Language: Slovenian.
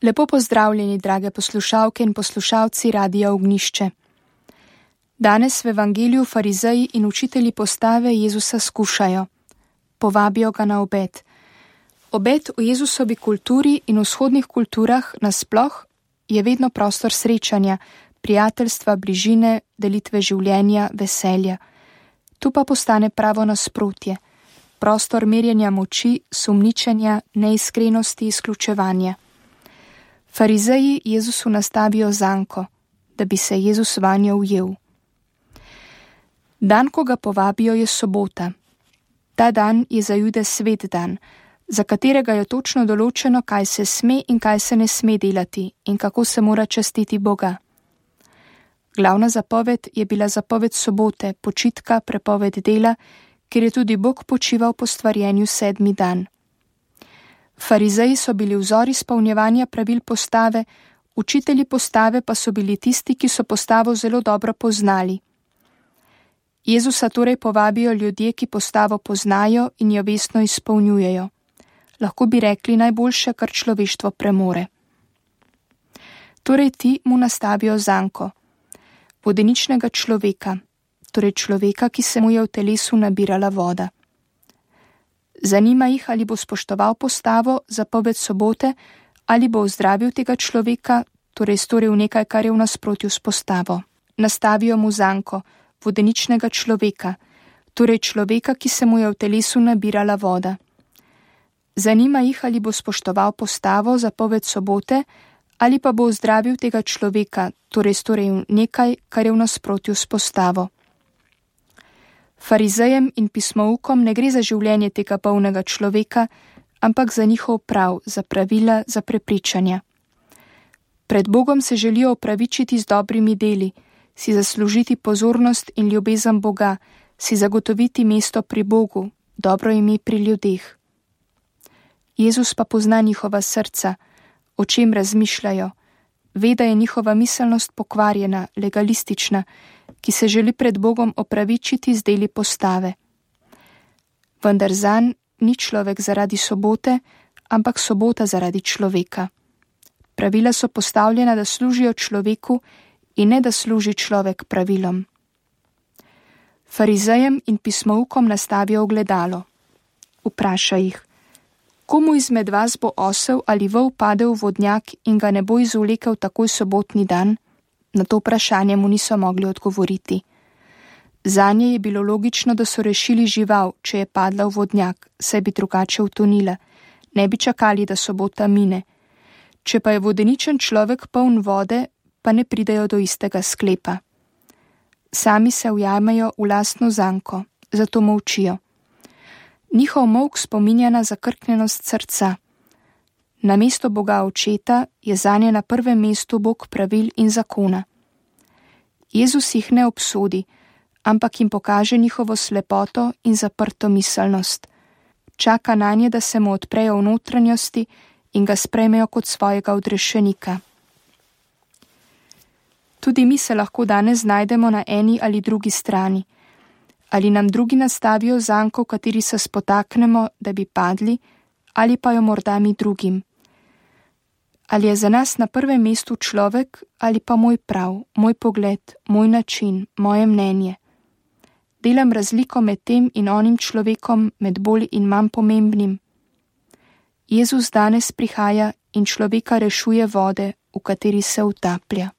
Lepo pozdravljeni, drage poslušalke in poslušalci Radia Ognjišče. Danes v Evangeliju farizeji in učitelji postave Jezusa skušajo. Povabijo ga na obed. Obed v Jezusovi kulturi in v vzhodnih kulturah nasploh je vedno prostor srečanja, prijateljstva, bližine, delitve življenja, veselja. Tu pa postane pravo nasprotje. Prostor merjenja moči, sumničenja, neiskrenosti, izključevanja. Farizeji Jezusu nastavijo zanko, da bi se Jezus vanjo ujel. Dan, ko ga povabijo, je sobota. Ta dan je za Jude svet dan, za katerega je točno določeno, kaj se sme in kaj se ne sme delati in kako se mora častiti Boga. Glavna zapoved je bila zapoved sobote, počitka, prepoved dela, ker je tudi Bog počival po stvarjenju 7. dan. Farizeji so bili vzor izpolnjevanja pravil postave, učitelji postave pa so bili tisti, ki so postavo zelo dobro poznali. Jezusa torej povabijo ljudje, ki postavo poznajo in jo vestno izpolnjujejo. Lahko bi rekli najboljše, kar človeštvo premore. Torej ti mu nastavijo zanko, vodeničnega človeka, torej človeka, ki se mu je v telesu nabirala voda. Zanima jih, ali bo spoštoval postavo, zapoved sobote, ali bo ozdravil tega človeka, torej storil nekaj, kar je v nasprotju s postavo. Nastavijo mu zanko, vodeničnega človeka, torej človeka, ki se mu je v telesu nabirala voda. Zanima jih, ali bo spoštoval postavo, zapoved sobote, ali pa bo ozdravil tega človeka, torej storil nekaj, kar je v nasprotju s postavo. Farizejem in pismoukom ne gre za življenje tega bolnega človeka, ampak za njihov prav, za pravila, za prepričanja. Pred Bogom se želijo opravičiti z dobrimi deli, si zaslužiti pozornost in ljubezen Boga, si zagotoviti mesto pri Bogu, dobro ime pri ljudeh. Jezus pa pozna njihova srca, o čem razmišljajo, ve, da je njihova miselnost pokvarjena, legalistična, ki se želi pred Bogom opravičiti z deli postave. Vendar zanj ni človek zaradi sobote, ampak sobota zaradi človeka. Pravila so postavljena, da služijo človeku in ne da služi človek pravilom. Farizejem in pismoukom nastavijo ogledalo. Vpraša jih: komu izmed vas bo osel ali vol padel v vodnjak in ga ne bo izvlekel takoj sobotni dan? Na to vprašanje mu niso mogli odgovoriti. Zanje je bilo logično, da so rešili žival, če je padla v vodnjak, saj bi drugače utonila. Ne bi čakali, da sobota mine. Če pa je vodeničen človek poln vode, pa ne pridejo do istega sklepa. Sami se ujamejo v lastno zanko, zato molčijo. Njihov molk spominja na zakrknjenost srca. Namesto Boga Očeta je zanje na prvem mestu Bog pravil in zakona. Jezus jih ne obsodi, ampak jim pokaže njihovo slepoto in zaprto miselnost. Čaka nanje, da se mu odprejo v notranjosti in ga sprejmejo kot svojega odrešenika. Tudi mi se lahko danes znajdemo na eni ali drugi strani. Ali nam drugi nastavijo zanko, v kateri se spotaknemo, da bi padli, ali pa jo morda mi drugim. Ali je za nas na prvem mestu človek ali pa moj prav, moj pogled, moj način, moje mnenje. Delam razliko med tem in onim človekom, med bolj in manj pomembnim. Jezus danes prihaja in človeka rešuje vode, v kateri se utaplja.